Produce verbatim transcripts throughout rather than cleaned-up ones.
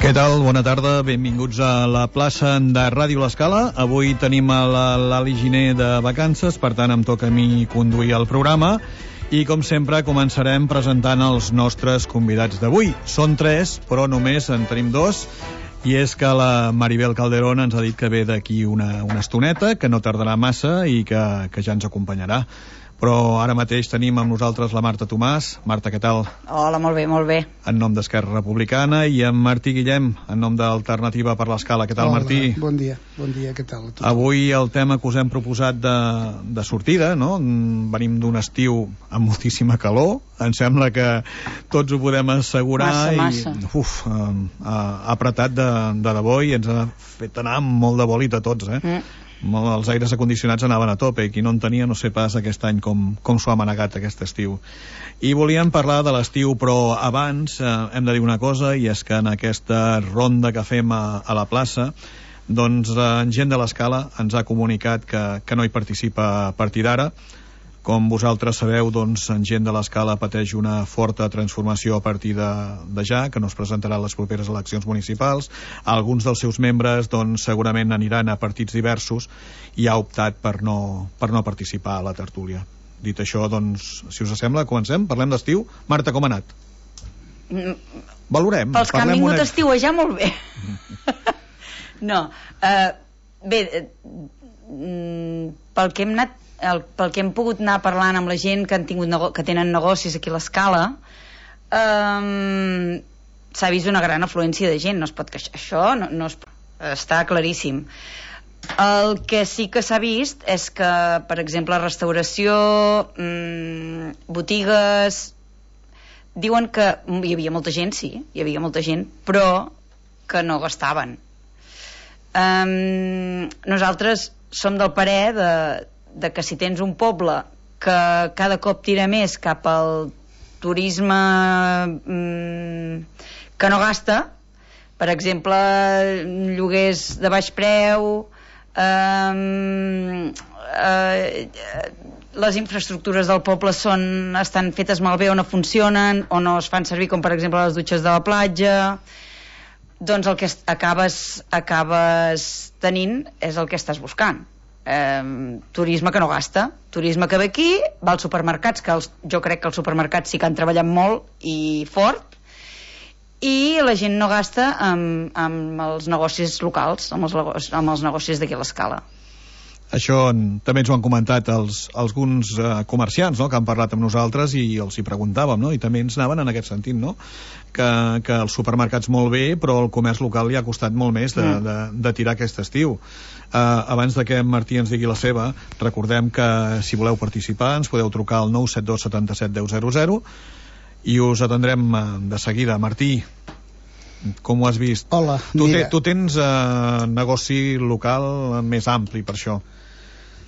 Què tal? Bona tarda, benvinguts a la plaça de Ràdio L'Escala. Avui tenim a l'Ali Giner de vacances, per tant em toca a mi conduir el programa i com sempre començarem presentant els nostres convidats d'avui. Són tres, però només en tenim dos, i és que la Maribel Calderón ens ha dit que ve d'aquí una, una estoneta, que no tardarà massa i que, que ja ens acompanyarà. Però ara mateix tenim amb nosaltres la Marta Tomàs. Marta, què tal? Hola, molt bé, molt bé. En nom d'Esquerra Republicana, i en Martí Guillem, en nom d'Alternativa per l'Escala. Què tal, Hola, Martí? Bon dia, bon dia, què tal? Avui el tema que us hem proposat de, de sortida, no? Venim d'un estiu amb moltíssima calor, em sembla que tots ho podem assegurar. Massa, massa. I, uf, ha apretat de, de debò i ens ha fet anar molt de bòlit a tots, eh? Mm. Els aires acondicionats anaven a tope i qui no en tenia no sé pas aquest any com, com s'ho ha manegat aquest estiu. I volíem parlar de l'estiu, però abans eh, hem de dir una cosa, i és que en aquesta ronda que fem a, a la plaça, doncs eh, gent de l'Escala ens ha comunicat que, que no hi participa a partir d'ara. Com vosaltres sabeu, doncs, en gent de l'Escala pateix una forta transformació a partir de, de ja, que no es presentarà a les properes eleccions municipals. Alguns dels seus membres doncs, segurament aniran a partits diversos i ha optat per no, per no participar a la tertúlia. Dit això, doncs, si us sembla, comencem, parlem d'estiu. Marta, com ha anat? Valorem. Pels que han vingut una... a estiuejar, molt bé. No, uh, bé, uh, pel que hem anat El, pel que hem pogut anar parlant amb la gent que, han tingut nego que tenen negocis aquí a l'Escala, um, s'ha vist una gran afluència de gent, no es pot queixar, això no, no es, està claríssim. El que sí que s'ha vist és que, per exemple, restauració, um, botigues, diuen que hi havia molta gent, sí, hi havia molta gent, però que no gastaven. Um, nosaltres som del parer de de que si tens un poble que cada cop tira més cap al turisme mmm, que no gasta, per exemple lloguers de baix preu, eh, eh, les infraestructures del poble són, estan fetes malbé o no funcionen o no es fan servir, com per exemple les dutxes de la platja, doncs el que acabes, acabes tenint és el que estàs buscant. Eh, turisme que no gasta, turisme que ve aquí, va als supermercats, que els, jo crec que els supermercats sí que han treballat molt i fort, i la gent no gasta amb, amb els negocis locals, amb els, amb els negocis d'aquí a l'Escala. Això també ens ho han comentat els, alguns eh, comerciants, no?, que han parlat amb nosaltres i els hi preguntàvem, no?, i també ens anaven en aquest sentit, no?, que, que els supermercats molt bé, però el comerç local li ha costat molt més de, mm. de, de tirar aquest estiu. Eh, abans de que en Martí ens digui la seva, recordem que si voleu participar ens podeu trucar al nou set dos set set deu zero zero i us atendrem eh, de seguida. Martí, com ho has vist? Hola, tu, mira. te, tu tens eh, negoci local més ampli per això.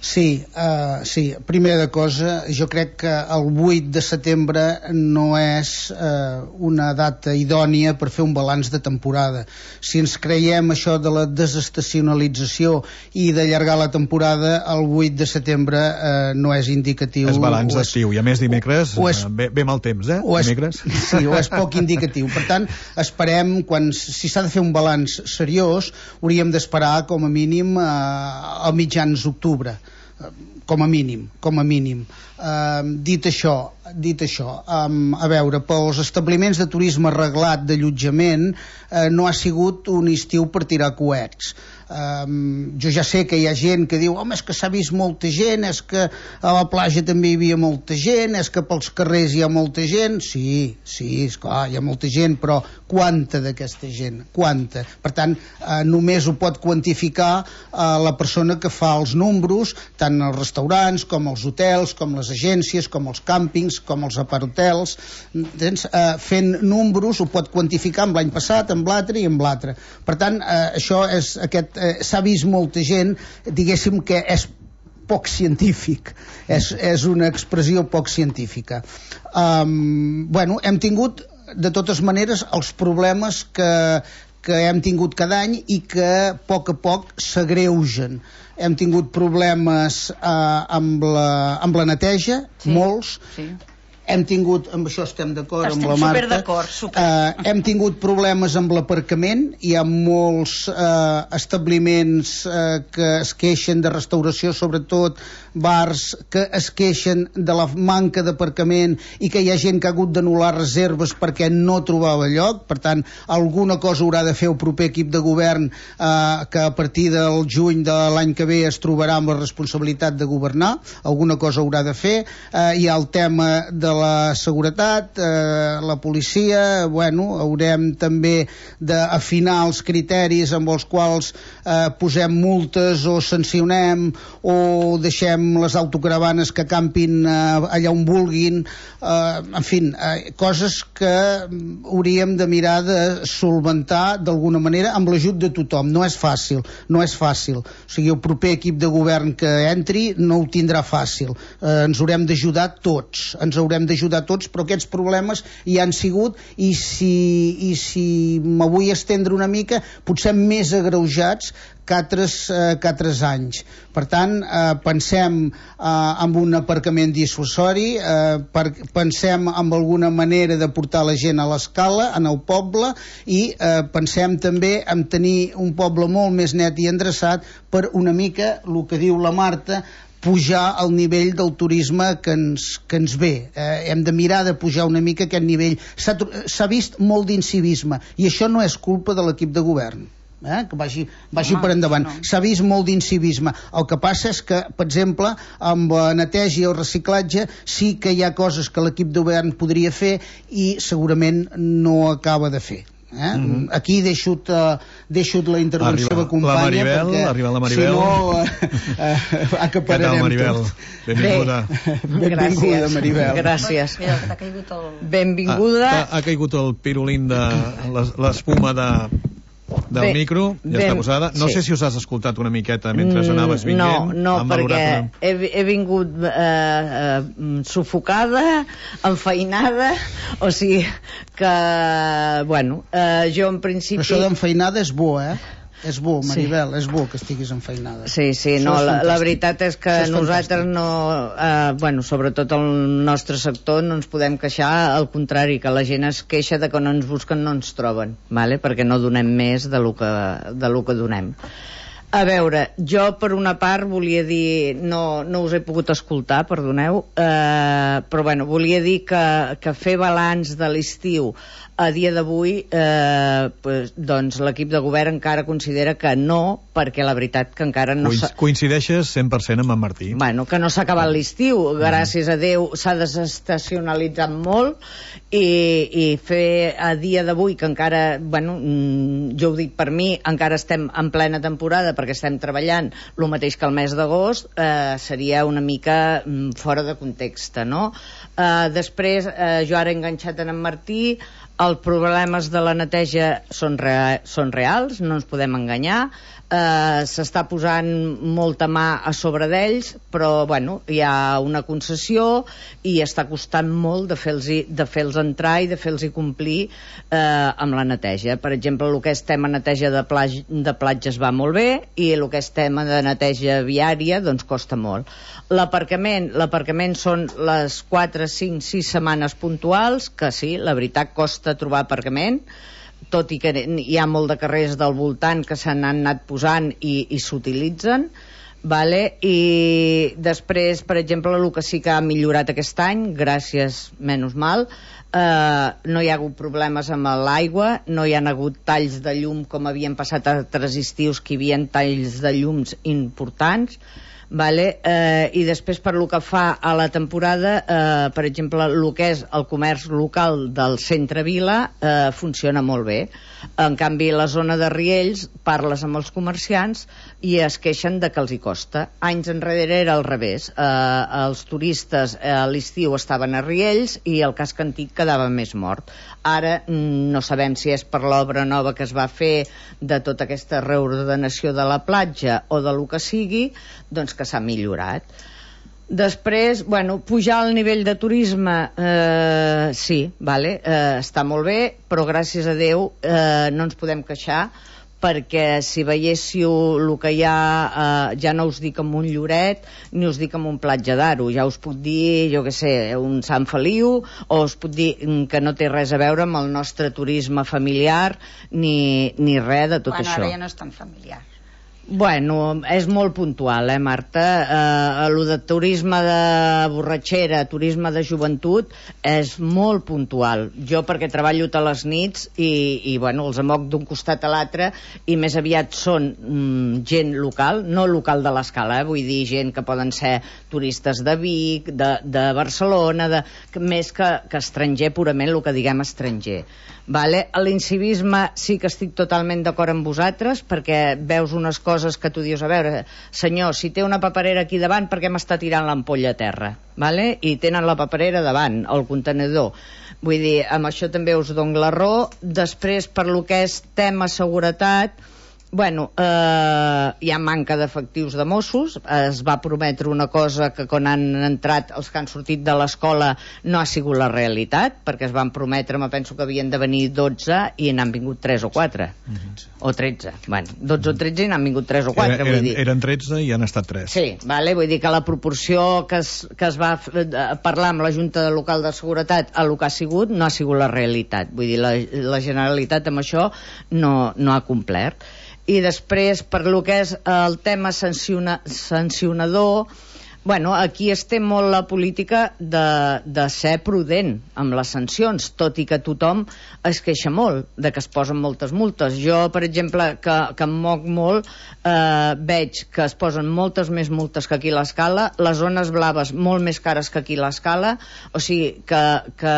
Sí, uh, sí, primera cosa, jo crec que el vuit de setembre no és uh, una data idònia per fer un balanç de temporada. Si ens creiem això de la desestacionalització i d'allargar la temporada, el vuit de setembre uh, no és indicatiu. És balanç d'estiu, i a més dimecres és, ve, ve mal temps, eh? O és, dimecres. sí, o és poc indicatiu. Per tant, esperem, quan, si s'ha de fer un balanç seriós, hauríem d'esperar com a mínim uh, a mitjans d'octubre. Com a mínim, com a mínim. Uh, dit això, dit això, um, a veure, pels establiments de turisme reglat d'allotjament uh, no ha sigut un estiu per tirar coets. Um, jo ja sé que hi ha gent que diu home, és que s'ha vist molta gent, és que a la platja també hi havia molta gent, és que pels carrers hi ha molta gent. Sí, sí, esclar, hi ha molta gent, però quanta d'aquesta gent? Quanta? Per tant, uh, només ho pot quantificar uh, la persona que fa els números, tant els restaurants com els hotels, com les agències, com els càmpings, com els aparhotels. Tens, uh, fent números ho pot quantificar amb l'any passat, amb l'altre i amb l'altre. Per tant, uh, això és aquest eh, s'ha vist molta gent, diguéssim que és poc científic, és, és una expressió poc científica. Um, bueno, hem tingut de totes maneres els problemes que, que hem tingut cada any i que a poc a poc s'agreugen. Hem tingut problemes uh, amb, la, amb la neteja, sí, molts, sí. Hem tingut, amb això estem d'acord amb la Marta, super d'acord, super. Uh, hem tingut problemes amb l'aparcament. Hi ha molts uh, establiments uh, que es queixen de restauració, sobretot bars, que es queixen de la manca d'aparcament i que hi ha gent que ha hagut d'anul·lar reserves perquè no trobava lloc. Per tant, alguna cosa haurà de fer el proper equip de govern, uh, que a partir del juny de l'any que ve es trobarà amb la responsabilitat de governar. Alguna cosa haurà de fer. Uh, hi ha el tema de la seguretat, eh, la policia. Bueno, haurem també d'afinar els criteris amb els quals eh, posem multes o sancionem o deixem les autocaravanes que campin eh, allà on vulguin, eh, en fi, eh, coses que hauríem de mirar de solventar d'alguna manera amb l'ajut de tothom. No és fàcil, no és fàcil. O sigui, el proper equip de govern que entri no ho tindrà fàcil. Eh, ens haurem d'ajudar tots, ens haurem d'ajudar tots, però aquests problemes hi han sigut i si, i si me vull estendre una mica, potser més agreujats que altres, eh, que altres anys. Per tant, eh, pensem eh, en un aparcament dissuasori, eh, per, pensem en alguna manera de portar la gent a l'escala, en el poble, i eh, pensem també en tenir un poble molt més net i endreçat per una mica, el que diu la Marta, pujar al nivell del turisme que ens, que ens ve. Eh, hem de mirar de pujar una mica aquest nivell. S'ha vist molt d'incivisme i això no és culpa de l'equip de govern. Eh, que vagi, vagi Home, per endavant. No. S'ha vist molt d'incivisme. El que passa és que, per exemple, amb la neteja i el reciclatge sí que hi ha coses que l'equip de govern podria fer i segurament no acaba de fer. Eh? Mm-hmm. Aquí deixo, uh, deixo la intervenció arriba, de companya la Maribel, perquè arriba la Maribel. Si no uh, uh, acapararem Maribel? tot. Benvinguda. Benvinguda, Maribel. Gràcies. Mira, que t'ha caigut el... Benvinguda. Ha, ha caigut el pirulín de l'espuma de del Bé, micro, ja ben, està posada. No sí. sé si us has escoltat una miqueta mentre anaves vinguent. No, no, perquè una... he, he vingut eh, eh, sufocada, enfeinada, o sigui que, bueno, eh, jo en principi... Això d'enfeinada és bo, eh? És bo, Maribel, sí. És bo que estiguis enfeinada. Sí, sí, no, la, la veritat és que és nosaltres fantàstic. no, eh, bueno, sobretot el nostre sector no ens podem queixar, al contrari, que la gent es queixa de que no ens busquen, no ens troben, vale? Perquè no donem més de lo que, de lo que donem. A veure, jo per una part volia dir, no, no us he pogut escoltar, perdoneu, eh, però bueno, volia dir que, que fer balanç de l'estiu a dia d'avui, eh, pues, doncs l'equip de govern encara considera que no, perquè la veritat que encara no... Coincideixes cent per cent amb en Martí. Bueno, que no s'ha acabat l'estiu, gràcies a Déu s'ha desestacionalitzat molt i, i fer a dia d'avui que encara, bueno, jo ho dic per mi, encara estem en plena temporada perquè estem treballant el mateix que el mes d'agost, eh, seria una mica fora de context, no? Eh, després, eh, jo ara he enganxat en en Martí. Els problemes de la neteja són, rea són reals, no ens podem enganyar. Uh, s'està posant molta mà a sobre d'ells, però bueno, hi ha una concessió i està costant molt de fer-los de fer-los entrar i de fer-los complir uh, amb la neteja. Per exemple, el que és tema neteja de, de platges va molt bé, i el que és tema de neteja viària doncs costa molt. L'aparcament, l'aparcament són les quatre, cinc, sis setmanes puntuals, que sí, la veritat costa trobar aparcament, tot i que hi ha molt de carrers del voltant que se n'han anat posant i, i s'utilitzen, vale? I després, per exemple, el que sí que ha millorat aquest any, gràcies, menys mal, eh, no hi ha hagut problemes amb l'aigua, no hi ha hagut talls de llum com havien passat altres estius, que hi havia talls de llums importants, vale? Eh, i després, per lo que fa a la temporada, eh, per exemple, el que és el comerç local del centre-vila eh, funciona molt bé. En canvi, la zona de Riells, parles amb els comerciants i es queixen de que els hi costa. Anys enrere era al revés. Eh, els turistes eh, a l'estiu estaven a Riells i el casc antic quedava més mort. Ara no sabem si és per l'obra nova que es va fer de tota aquesta reordenació de la platja o de lo que sigui, doncs que s'ha millorat. Després, bueno, pujar el nivell de turisme, eh, sí, vale, eh, està molt bé, però gràcies a Déu eh, no ens podem queixar, perquè si veiéssiu el que hi ha, eh, ja no us dic amb un Lloret ni us dic amb un Platja d'Aro, ja us puc dir, jo què sé, un Sant Feliu, o us puc dir que no té res a veure amb el nostre turisme familiar ni, ni res de tot bueno, això. Ara ja no és tan familiar. Bueno, és molt puntual, eh, Marta? Eh, el de turisme de borratxera, turisme de joventut, és molt puntual. Jo, perquè treballo a les nits i, i bueno, els amoc d'un costat a l'altre, i més aviat són mm, gent local, no local de l'Escala, eh, vull dir gent que poden ser turistes de Vic, de, de Barcelona, de, més que, que estranger, purament el que diguem estranger. Vale? L'incivisme sí que estic totalment d'acord amb vosaltres, perquè veus unes coses que tu dius, a veure, senyor, si té una paperera aquí davant, per què m'està tirant l'ampolla a terra? Vale? I tenen la paperera davant, el contenidor. Vull dir, amb això també us dono la raó. Després, per lo que és tema seguretat, bueno, eh, hi ha manca d'efectius de Mossos. Es va prometre una cosa que quan han entrat els que han sortit de l'escola no ha sigut la realitat, perquè es van prometre, me penso que havien de venir dotze i n'han vingut tres o quatre. Mm-hmm. O tretze. Bueno, dotze o tretze i n'han vingut tres o quatre. Era, eren, vull dir. Eren tretze i han estat tres. Sí, vale? Vull dir que la proporció que es, que es va parlar amb la Junta Local de Seguretat a lo que ha sigut no ha sigut la realitat. Vull dir, la, la Generalitat amb això no, no ha complert. I després, per lo que és el tema sanciona, sancionador, bueno, aquí es té molt la política de, de ser prudent amb les sancions, tot i que tothom es queixa molt de que es posen moltes multes. Jo, per exemple, que, que em moc molt, eh, veig que es posen moltes més multes que aquí a l'Escala, les zones blaves molt més cares que aquí a l'Escala, o sigui que, que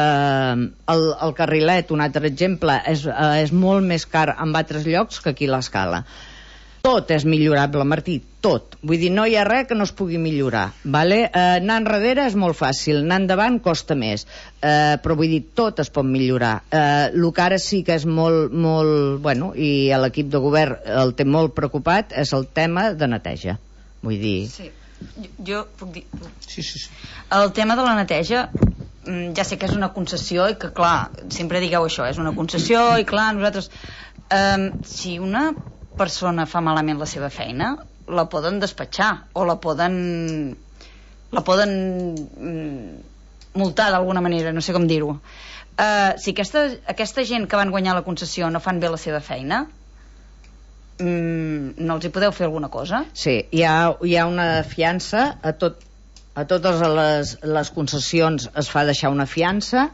el, el carrilet, un altre exemple, és, eh, és molt més car en altres llocs que aquí a l'Escala. Tot és millorable, Martí, tot. Vull dir, no hi ha res que no es pugui millorar, vale? Eh, anar enrere és molt fàcil, anar endavant costa més, eh, però vull dir, tot es pot millorar. Eh, el que ara sí que és molt, molt, bueno, i l'equip de govern el té molt preocupat, és el tema de neteja. Vull dir... Sí, jo, jo puc dir... Sí, sí, sí. El tema de la neteja, ja sé que és una concessió i que, clar, sempre digueu això, és una concessió i, clar, nosaltres... Eh, si una persona fa malament la seva feina, la poden despatxar o la poden la poden mm, multar d'alguna manera, no sé com dir-ho. Uh, si aquesta, aquesta gent que van guanyar la concessió no fan bé la seva feina, mm, no els hi podeu fer alguna cosa? Sí, hi ha, hi ha una fiança a tot, a totes les, les concessions es fa deixar una fiança,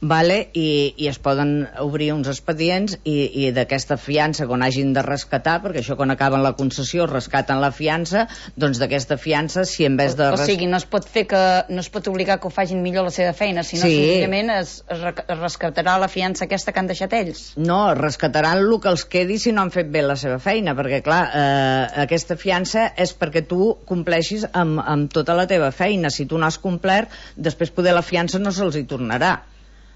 vale? I, i es poden obrir uns expedients i, i d'aquesta fiança, quan hagin de rescatar, perquè això quan acaben la concessió rescaten la fiança, doncs d'aquesta fiança, si en vez de... O, o sigui, no es pot fer que no es pot obligar que ho facin millor la seva feina, sinó sí. senzillament es, es, es rescatarà la fiança aquesta que han deixat ells. No, rescataran el que els quedi si no han fet bé la seva feina, perquè clar, eh, aquesta fiança és perquè tu compleixis amb, amb tota la teva feina. Si tu no has complert, després poder la fiança no se'ls hi tornarà.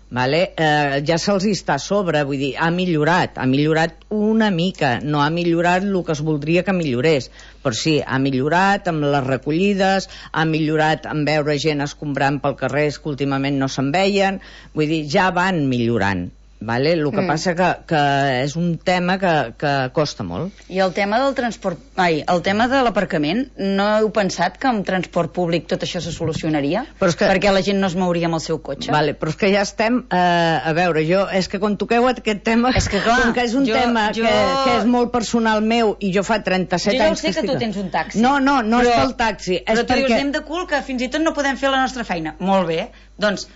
Vale? Eh, ja se'ls està a sobre, vull dir, ha millorat, ha millorat una mica, no ha millorat el que es voldria que millorés, però sí, ha millorat amb les recollides, ha millorat en veure gent escombrant pel carrer que últimament no se'n veien, vull dir, ja van millorant. Vale? El que mm. passa que, que és un tema que, que costa molt. I el tema del transport, ai, el tema de l'aparcament, no heu pensat que amb transport públic tot això se solucionaria? Però és que... Perquè la gent no es mouria amb el seu cotxe? Vale, però és que ja estem, eh, a veure, jo, és que quan toqueu aquest tema, és que, clar, com que és un jo, tema jo... Que, que és molt personal meu i jo fa trenta-set anys... Jo ja anys sé que, que tu tens un taxi. No, no, no però, és pel taxi. Però és tu perquè... dius, anem de cul que fins i tot no podem fer la nostra feina. Molt bé, doncs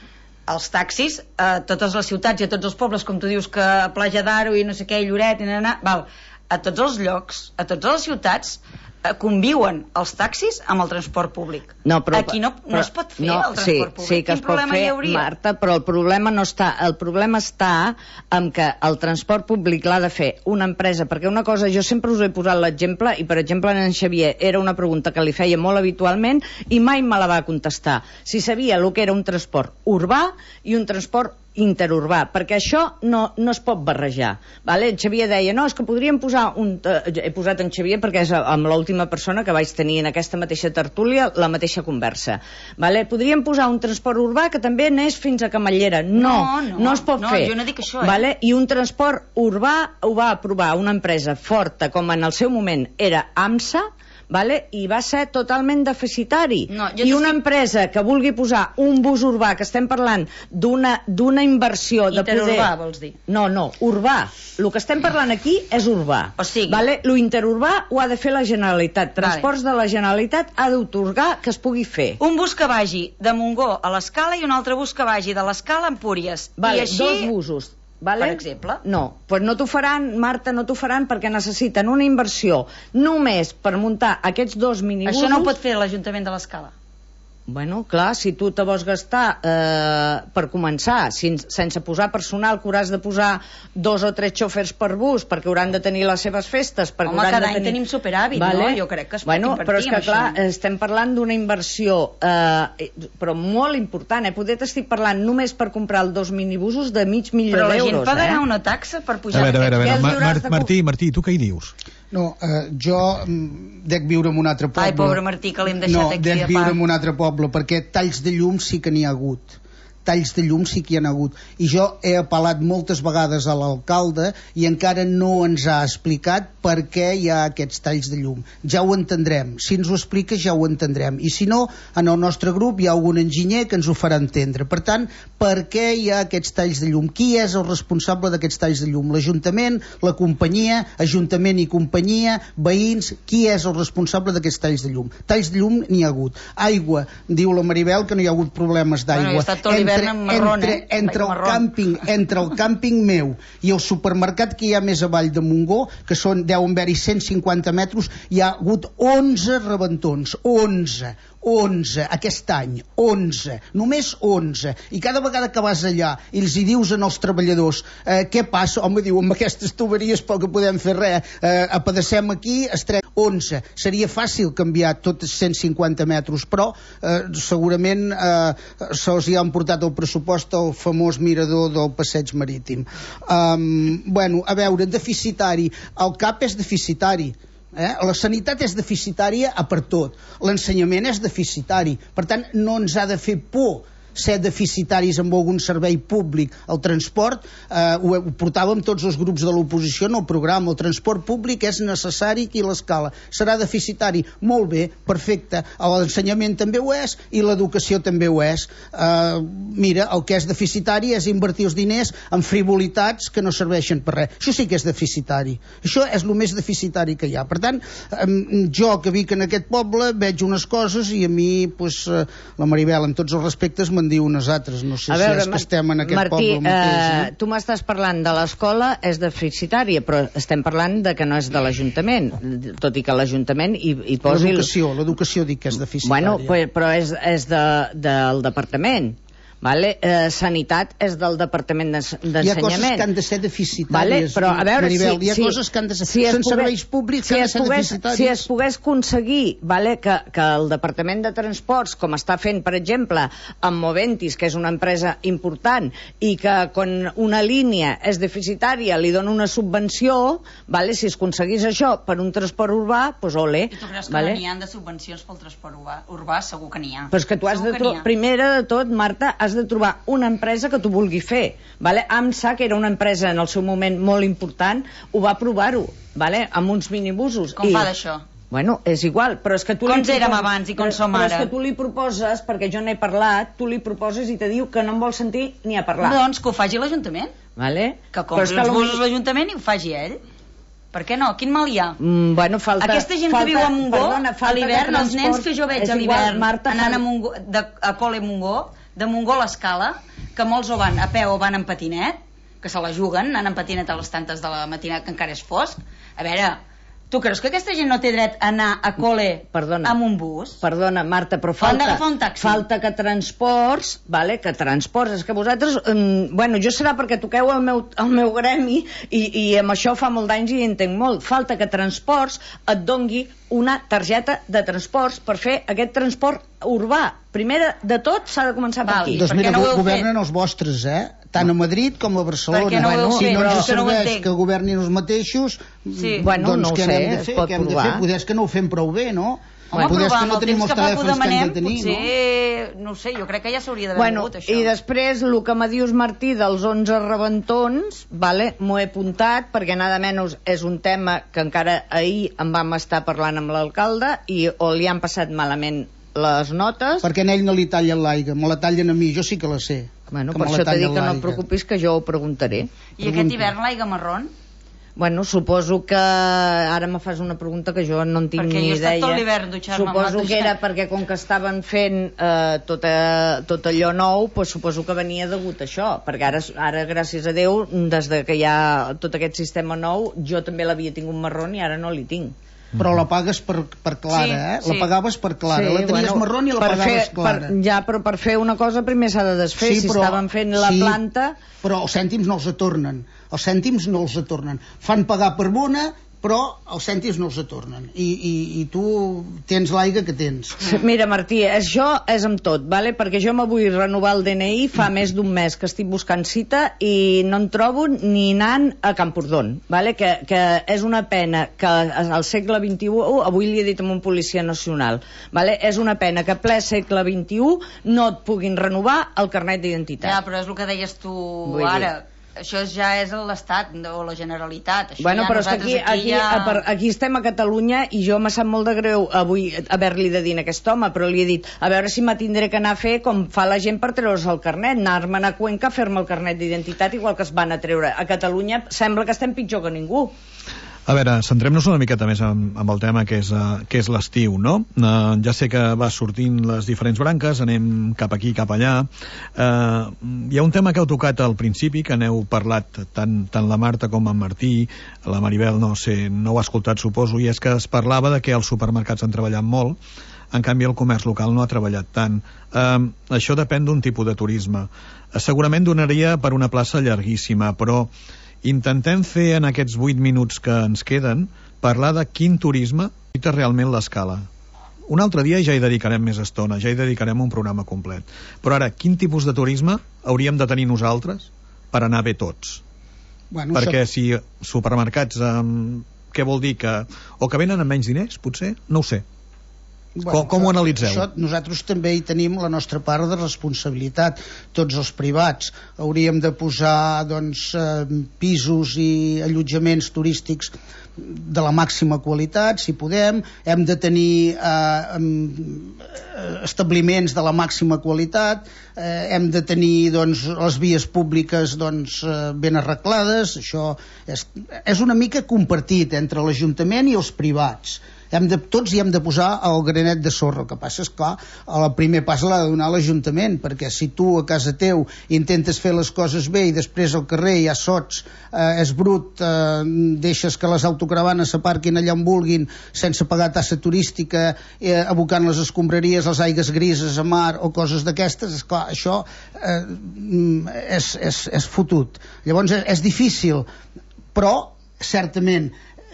els taxis a totes les ciutats i a tots els pobles, com tu dius que a Platja d'Aro i no sé què, i Lloret i nanà, val, a tots els llocs, a totes les ciutats eh, conviuen els taxis amb el transport públic. No, però, aquí no, no però, es pot fer no, el transport sí, públic. Sí que Quin es pot fer, Marta, però el problema no està, el problema està en que el transport públic l'ha de fer una empresa, perquè una cosa, jo sempre us he posat l'exemple, i per exemple en Xavier era una pregunta que li feia molt habitualment i mai me la va contestar, si sabia el que era un transport urbà i un transport interurbà, perquè això no, no es pot barrejar, vale? En Xavier deia, no, és que podríem posar un... Eh, he posat en Xavier perquè és amb l'última persona que vaig tenir en aquesta mateixa tertúlia la mateixa conversa, vale? Podríem posar un transport urbà que també anés fins a Camallera. No, no, no, no es pot no, fer. Jo no dic això, eh? Vale? I un transport urbà ho va aprovar una empresa forta com en el seu moment era AMSA, vale? I va ser totalment deficitari. No, I una estic... empresa que vulgui posar un bus urbà, que estem parlant d'una d'una inversió de poder... Interurbà, vols dir? No, no, urbà. El que estem parlant aquí és urbà. O sigui... Vale? Lo interurbà ho ha de fer la Generalitat. Transports vale. De la Generalitat ha d'autorgar que es pugui fer. Un bus que vagi de Montgó a l'Escala i un altre bus que vagi de l'Escala a Empúries. Vale, I així... dos busos. Vale? Per exemple? No, pues no t'ho faran, Marta, no t'ho faran perquè necessiten una inversió només per muntar aquests dos minibusos. Això no ho pot fer l'Ajuntament de l'Escala. Bueno, clar, si tu te vols gastar eh, per començar, sense, sense posar personal, que hauràs de posar dos o tres xòfers per bus perquè hauran de tenir les seves festes, perquè home, cada de tenir... any tenim superàvit, vale? No? Jo crec que es bueno, pot invertir però és que, en clar, això. Estem parlant d'una inversió eh, però molt important, eh? Poder t'estic parlant només per comprar els dos minibusos de mig milió d'euros. Però la gent pagarà eh? una taxa per pujar... A veure, a veure, a veure. Ma Mar de... Martí, Martí, tu què hi dius? No, eh, jo mm, dec viure en un altre poble. Ai, pobre Martí, que l'hem deixat no, aquí. No, dec viure en un altre poble, perquè talls de llum sí que n'hi ha hagut. Talls de llum sí que hi ha hagut. I jo he apel·lat moltes vegades a l'alcalde i encara no ens ha explicat per què hi ha aquests talls de llum. Ja ho entendrem. Si ens ho explica ja ho entendrem. I si no, en el nostre grup hi ha algun enginyer que ens ho farà entendre. Per tant, per què hi ha aquests talls de llum? Qui és el responsable d'aquests talls de llum? L'Ajuntament, la companyia, Ajuntament i companyia, veïns, qui és el responsable d'aquests talls de llum? Talls de llum n'hi ha hagut. Aigua, diu la Maribel que no hi ha hagut problemes d'aigua. Bueno, entre, marrón, entre, eh? entre, el càmping, entre el càmping meu i el supermercat que hi ha més avall de Montgó, que són, deuen haver-hi cent cinquanta metres, hi ha hagut onze rebentons, onze onze aquest any, onze, només onze, i cada vegada que vas allà i els hi dius als treballadors eh, què passa, home, diu, amb aquestes tuberies poc que podem fer res, eh, apedassem aquí, estrem onze, seria fàcil canviar tots cent cinquanta metres, però eh, segurament eh, se'ls hi han portat el pressupost al famós mirador del passeig marítim. Um, bueno, a veure, deficitari, el C A P és deficitari. Eh? La sanitat és deficitària a per tot, l'ensenyament és deficitari, per tant no ens ha de fer por ser deficitaris amb algun servei públic. El transport, eh, ho, ho portàvem tots els grups de l'oposició en el programa, el transport públic és necessari aquí a l'Escala, serà deficitari, molt bé, perfecte, l'ensenyament també ho és i l'educació també ho és. Eh, mira, el que és deficitari és invertir els diners en frivolitats que no serveixen per res, això sí que és deficitari, això és el més deficitari que hi ha. Per tant, eh, jo que vic en aquest poble veig unes coses i a mi, pues, eh, la Maribel, amb tots els respectes, me'n diu unes altres, no sé veure, si és que estem en aquest Martí, poble mateix. Eh, no? tu m'estàs parlant de l'escola, és deficitària, però estem parlant de que no és de l'Ajuntament, tot i que l'Ajuntament hi, hi posi... L'educació, l'educació dic que és deficitària. Bueno, però és, és de, del departament. vale? Eh, sanitat és del Departament d'Ensenyament. Hi ha coses que han de ser deficitàries, vale? Però, a veure, Maribel, si, hi ha si, coses que han de ser... si són pogués, serveis públics si que han de ser pogués, deficitaris. Si es pogués aconseguir, vale, que, que el Departament de Transports, com està fent, per exemple, amb Moventis, que és una empresa important, i que quan una línia és deficitària li dona una subvenció, vale, si es aconseguís això per un transport urbà, doncs ole. I tu creus que vale? no n'hi ha de subvencions pel transport urbà? Urbà segur que n'hi ha. Però és que tu has de trobar, primera de tot, Marta, has de trobar una empresa que tu vulgui fer. Vale? AMSA, que era una empresa en el seu moment molt important, ho va provar-ho, vale? Amb uns minibusos. Com I... fa d'això? Bueno, és igual, però és que tu... Com li érem proposes... abans i com som però ara? Però és que tu li proposes, perquè jo n'he parlat, tu li proposes i te diu que no en vol sentir ni a parlar. Doncs que ho faci l'Ajuntament. Vale? Que compri els busos l'Ajuntament i ho faci ell. Per què no? Quin mal hi ha? Mm, bueno, falta... Aquesta gent falta, que viu a Montgó, perdona, a l'hivern, els nens que jo veig a l'hivern Marta, anant a, Montgó, de, a Cole Montgó, de Montgó a l'Escala, que molts o van a peu o van en patinet, que se la juguen, anant en patinet a les tantes de la matinada, que encara és fosc. A veure, tu creus que aquesta gent no té dret a anar a Cole perdona, amb un bus? Perdona, Marta, però falta, un taxi. falta que transports, vale, que transports, és que vosaltres, um, bueno, jo serà perquè toqueu el meu, el meu gremi i, i amb això fa molt d'anys i entenc molt. Falta que transports et dongui una targeta de transports per fer aquest transport urbà. Primer de tot s'ha de començar per aquí. Doncs mira, no governen els vostres, eh? Tant a Madrid com a Barcelona. No bueno, si no ens serveix no que governin els mateixos, sí. bueno, doncs no què sé, hem de fer? Què hem de fer? Poder és que no ho fem prou bé, no? Home, Poder és però que no amb el tenim temps els que fa que ho telèfons que hem demanem, de tenir, potser, no? no sé, jo crec que ja s'hauria d'haver bueno, mogut, això. I després, el que me dius, Martí, dels onze rebentons, vale, m'ho he apuntat, perquè nada menys és un tema que encara ahir en vam estar parlant amb l'alcalde i o li han passat malament les notes... Perquè a ell no li tallen l'aigua, me la tallen a mi, jo sí que la sé. Bueno, per això t'he dit que no et preocupis, que jo ho preguntaré. I aquest hivern l'aigua marrón? Bueno, suposo que ara me fas una pregunta que jo no en tinc perquè ni idea. Perquè jo he estat tot l'hivern dutxant-me. Suposo que era perquè com que estaven fent eh, tot, a, tot allò nou, pues suposo que venia degut a això, perquè ara, ara gràcies a Déu, des de que hi ha tot aquest sistema nou, jo també l'havia tingut marrón i ara no l'hi tinc. Però la pagues per, per Clara, sí, eh? Sí. La pagaves per Clara, sí, la tenies bueno, marrón i la pagaves fer, Clara. Per, ja, però per fer una cosa primer s'ha de desfer, sí, si però, estaven fent la sí, planta... Però els cèntims no els atornen, els cèntims no els atornen. Fan pagar per bona, però els cèntims no els atornen. I, i, i tu tens l'aigua que tens. Mira, Martí, això és amb tot, vale? Perquè jo me vull renovar el D N I fa més d'un mes que estic buscant cita i no en trobo ni anant a Camprodon, vale? que, que és una pena que al segle vint-i-u, avui li he dit a un policia nacional, vale? És una pena que ple segle vint-i-u no et puguin renovar el carnet d'identitat. Ja, però és el que deies tu vull ara. Dir. Això ja és l'Estat o la Generalitat. Això bueno, ja però és que aquí, aquí, aquí, ja... aquí estem a Catalunya i jo me sap molt de greu avui haver-li de dir a aquest home, però li he dit a veure si m'atindré que anar a fer com fa la gent per treure's el carnet, anar-me'n a Cuenca a fer-me el carnet d'identitat igual que es van a treure. A Catalunya sembla que estem pitjor que ningú. A veure, centrem-nos una miqueta més amb, amb el tema que és, uh, que és l'estiu, no? Uh, ja sé que va sortint les diferents branques, anem cap aquí, cap allà. Uh, hi ha un tema que heu tocat al principi, que n'heu parlat tant, tant la Marta com en Martí, la Maribel, no sé, no ho ha escoltat, suposo, i és que es parlava de que els supermercats han treballat molt, en canvi el comerç local no ha treballat tant. Uh, això depèn d'un tipus de turisme. Uh, segurament donaria per una plaça llarguíssima, però intentem fer en aquests vuit minuts que ens queden parlar de quin turisme necessita realment l'escala. Un altre dia ja hi dedicarem més estona, ja hi dedicarem un programa complet. Però ara, quin tipus de turisme hauríem de tenir nosaltres per anar bé tots? Bueno, perquè si supermercats, um, què vol dir? Que, o que venen amb menys diners, potser? No ho sé. Bueno, com, com això, ho analitzeu? Això, nosaltres també hi tenim la nostra part de responsabilitat. Tots els privats hauríem de posar doncs, eh, pisos i allotjaments turístics de la màxima qualitat, si podem. Hem de tenir eh, establiments de la màxima qualitat, eh, hem de tenir doncs, les vies públiques doncs, eh, ben arreglades. Això és, és una mica compartit entre l'Ajuntament i els privats. hem de, tots hi hem de posar el granet de sorra. El que passa és, clar, el primer pas l'ha de donar l'Ajuntament, perquè si tu a casa teu intentes fer les coses bé i després al carrer hi ha sots, eh, és brut, eh, deixes que les autocaravanes s'aparquin allà on vulguin sense pagar tassa turística, eh, abocant les escombraries, les aigues grises a mar o coses d'aquestes, és clar, això eh, és, és, és fotut. Llavors és, és difícil, però certament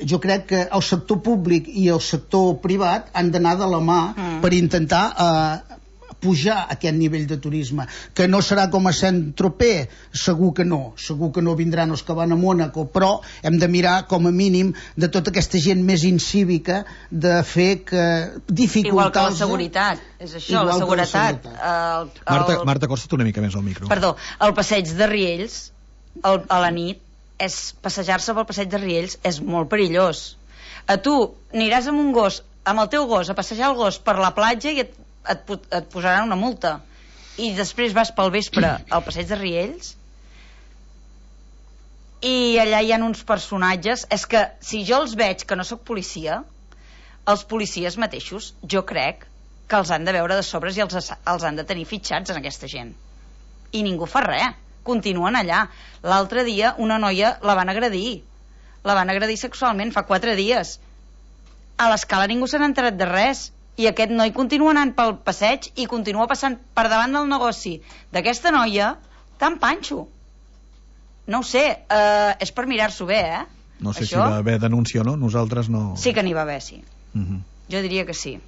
jo crec que el sector públic i el sector privat han d'anar de la mà mm. per intentar eh, pujar aquest nivell de turisme, que no serà com a Saint-Tropez, segur que no, segur que no vindran els que van a Mònaco, però hem de mirar com a mínim de tota aquesta gent més incívica de fer que dificultar... Igual que la seguretat, és això, la seguretat. La seguretat. El, el... Marta, Marta, acosta't una mica més al micro. Perdó, el passeig de Riells el, a la nit, és passejar-se pel passeig de Riells és molt perillós. A tu aniràs amb un gos, amb el teu gos, a passejar el gos per la platja i et, et, et posaran una multa. I després vas pel vespre al passeig de Riells i allà hi ha uns personatges. És que si jo els veig, que no sóc policia, els policies mateixos, jo crec que els han de veure de sobres i els, els han de tenir fitxats en aquesta gent. I ningú fa res. Continuen allà. L'altre dia una noia la van agredir. La van agredir sexualment fa quatre dies. A l'escala ningú se n'ha enterat de res. I aquest noi continua anant pel passeig i continua passant per davant del negoci d'aquesta noia tan panxo. No ho sé, eh, és per mirar-s'ho bé, eh? No sé Això? Si va haver denúncia o no, nosaltres no... Sí que n'hi va haver, sí. Uh -huh. Jo diria que sí,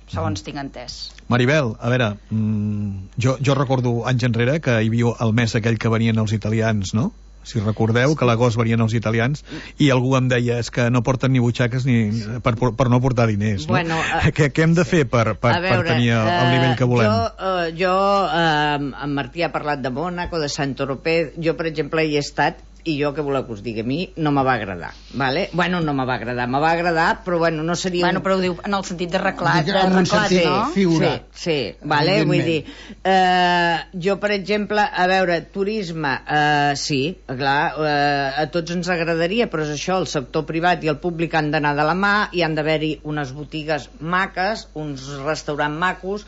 segons tinc entès. Maribel, a veure, mmm, jo, jo recordo anys enrere que hi havia el mes aquell que venien els italians, no? Si recordeu, que a l'agost venien els italians i algú em deia, és que no porten ni butxaques ni per, per no portar diners, no? Bueno, uh, què, què hem de fer per, per, veure, per tenir el, el nivell que volem? Jo, uh, jo uh, en Martí ha parlat de Mònaco, de Saint-Tropez, jo per exemple hi he estat i jo, què voleu que us digui, a mi no me va agradar, vale? Bueno, no me va agradar, me va agradar, però bueno, no seria... Bueno, però ho diu en el sentit de reclat, de reclat, sí, no? Figurat. Sí, sí, vale? Vull dir, eh, jo, per exemple, a veure, turisme, eh, sí, clar, eh, a tots ens agradaria, però és això, el sector privat i el públic han d'anar de la mà i han d'haver-hi unes botigues maques, uns restaurants macos,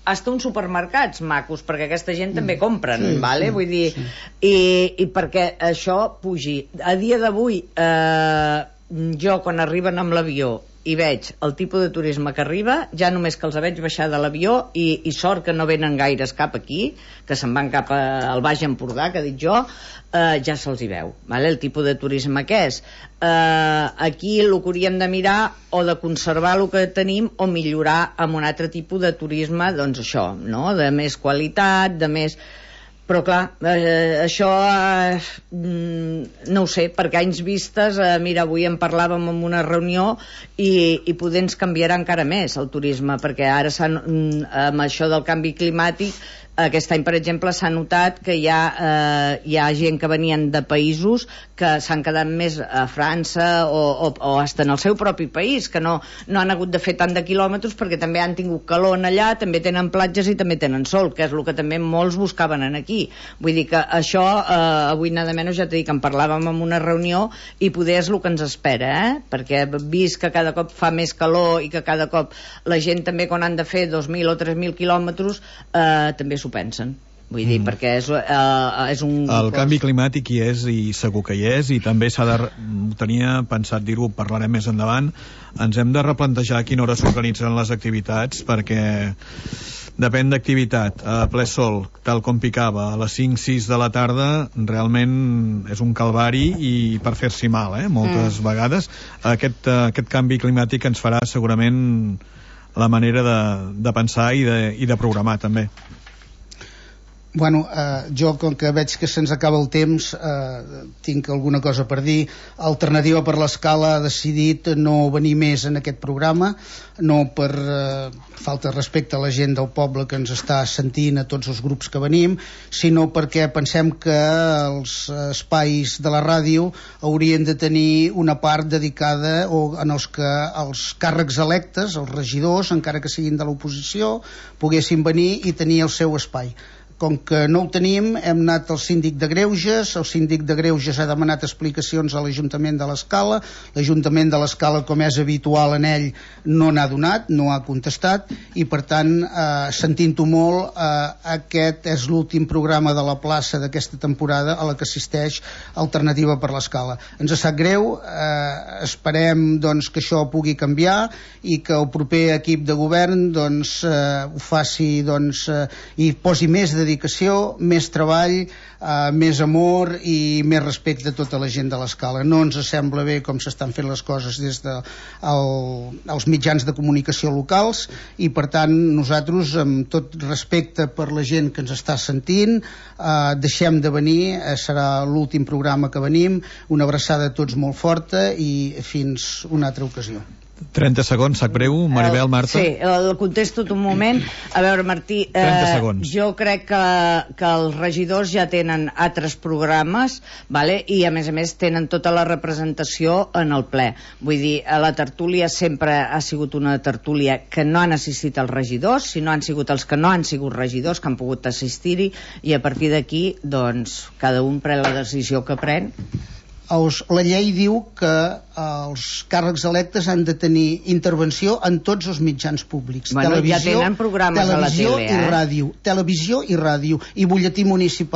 hasta uns supermercats macos, perquè aquesta gent també compren, sí, vale? Sí, vull dir, sí. i, i perquè això pugi. A dia d'avui, eh, jo quan arriben amb l'avió i veig el tipus de turisme que arriba, ja només que els veig baixar de l'avió i, i sort que no venen gaires cap aquí, que se'n van cap a, al Baix Empordà, que dic jo, eh, ja se'ls hi veu, vale? El tipus de turisme que és. Eh, aquí el que hauríem de mirar o de conservar el que tenim o millorar amb un altre tipus de turisme, doncs això, no? De més qualitat, de més... Però clar, eh, això eh, no ho sé, perquè anys vistes, eh, mira, avui en parlàvem en una reunió i, i poder ens canviarà encara més el turisme, perquè ara amb això del canvi climàtic aquest any, per exemple, s'ha notat que hi ha, eh, hi ha gent que venien de països que s'han quedat més a França o, o, o hasta en el seu propi país, que no, no han hagut de fer tant de quilòmetres perquè també han tingut calor en allà, també tenen platges i també tenen sol, que és el que també molts buscaven en aquí. Vull dir que això, eh, avui nada menys, ja t'he dit que en parlàvem en una reunió i poder és el que ens espera, eh? Perquè vist que cada cop fa més calor i que cada cop la gent també quan han de fer dos mil o tres mil quilòmetres eh, també s'ho pensen. Vull dir, mm. perquè és, uh, és un... El canvi climàtic hi és i segur que hi és i també s'ha de... tenia pensat dir-ho, parlarem més endavant, ens hem de replantejar a quina hora s'organitzen les activitats perquè depèn d'activitat. A ple sol, tal com picava, a les cinc sis de la tarda realment és un calvari i per fer-s'hi mal, eh? Moltes mm. vegades. Aquest, uh, aquest canvi climàtic ens farà segurament la manera de, de pensar i de, i de programar també. Bueno, eh, jo com que veig que se'ns acaba el temps eh, tinc alguna cosa per dir. Alternativa per l'Escala ha decidit no venir més en aquest programa, no per eh, falta de respecte a la gent del poble que ens està sentint, a tots els grups que venim, sinó perquè pensem que els espais de la ràdio haurien de tenir una part dedicada o en els que els càrrecs electes, els regidors, encara que siguin de l'oposició, poguessin venir i tenir el seu espai. com que no ho tenim, hem anat al síndic de Greuges, el síndic de Greuges ha demanat explicacions a l'Ajuntament de l'Escala, l'Ajuntament de l'Escala, com és habitual en ell, no n'ha donat, no ha contestat, i per tant, eh, sentint-ho molt, eh, aquest és l'últim programa de la plaça d'aquesta temporada a la que assisteix Alternativa per l'Escala. Ens sap greu, eh, esperem doncs, que això pugui canviar i que el proper equip de govern doncs, eh, ho faci doncs, eh, i posi més dedicació, més treball, eh, més amor i més respecte a tota la gent de l'Escala. No ens sembla bé com s'estan fent les coses des dels de el, els mitjans de comunicació locals i per tant nosaltres, amb tot respecte per la gent que ens està sentint, eh, deixem de venir, eh, serà l'últim programa que venim, una abraçada a tots molt forta i fins una altra ocasió. trenta segons, sac breu, Maribel, Marta. Sí, el contesto un moment. A veure, Martí, eh, jo crec que, que els regidors ja tenen altres programes, vale? I a més a més tenen tota la representació en el ple. Vull dir, la tertúlia sempre ha sigut una tertúlia que no han assistit els regidors, sinó han sigut els que no han sigut regidors que han pogut assistir-hi, i a partir d'aquí, doncs, cada un pren la decisió que pren. Els, la llei diu que els càrrecs electes han de tenir intervenció en tots els mitjans públics. Bueno, televisió, ja tenen programes a la tele, i eh? ràdio, televisió i ràdio, i butlletí municipal.